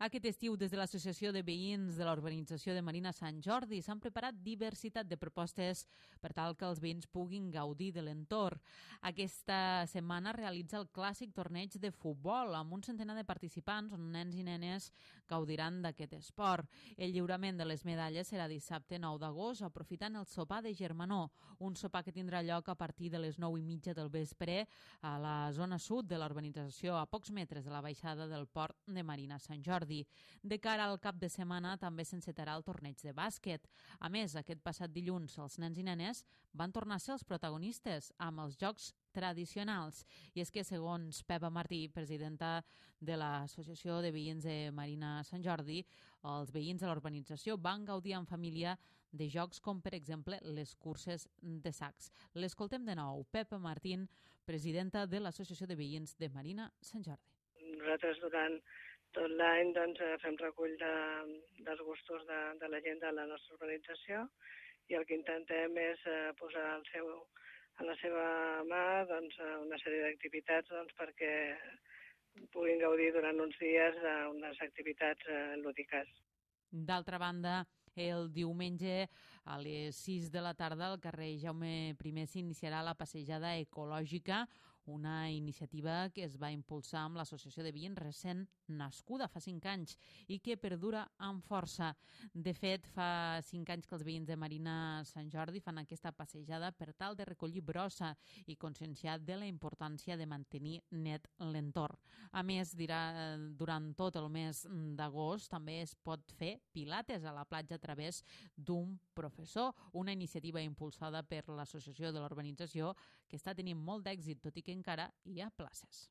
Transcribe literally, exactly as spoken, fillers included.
Aquest estiu, des de l'Associació de Veïns de la Urbanització de Marina Sant Jordi, s'han preparat diversitat de propostes per tal que els veïns puguin gaudir de l'entorn. Aquesta setmana realitza el clàssic torneig de futbol amb un centenar de participants on nens i nenes gaudiran d'aquest esport. El lliurament de les medalles serà dissabte nou d'agost, aprofitant el sopar de germanor, un sopar que tindrà lloc a partir de les nou i mitja del vespre a la zona sud de la urbanització, a pocs metres de la baixada del port de Marina Sant Jordi. De cara al cap de setmana també s'encetarà el torneig de bàsquet. A més, aquest passat dilluns els nens i nenes van tornar a ser els protagonistes amb els jocs tradicionals. I és que, segons Pepa Martí, presidenta de l'Associació de Veïns de Marina Sant Jordi, els veïns de l'urbanització van gaudir en família de jocs com, per exemple, les curses de sacs. L'escoltem de nou. Pepa Martín, presidenta de l'Associació de Veïns de Marina Sant Jordi. Nosaltres durant tot l'any doncs, fem recull de, dels gustos de, de la gent de la nostra urbanització i el que intentem és eh, posar el seu, a la seva mà doncs, una sèrie d'activitats doncs, perquè puguin gaudir durant uns dies d'unes activitats eh, lúdiques. D'altra banda, el diumenge a les sis de la tarda al carrer Jaume primer s'iniciarà la passejada ecològica, una iniciativa que es va impulsar amb l'Associació de Veïns recent nascuda fa cinc anys i que perdura amb força. De fet, fa cinc anys que els veïns de Marina Sant Jordi fan aquesta passejada per tal de recollir brossa i conscienciar de la importància de mantenir net l'entorn. A més, dirà, durant tot el mes d'agost també es pot fer pilates a la platja a través d'un professor, una iniciativa impulsada per l'Associació de l'Urbanització que està tenint molt d'èxit, tot i que encara hi ha places.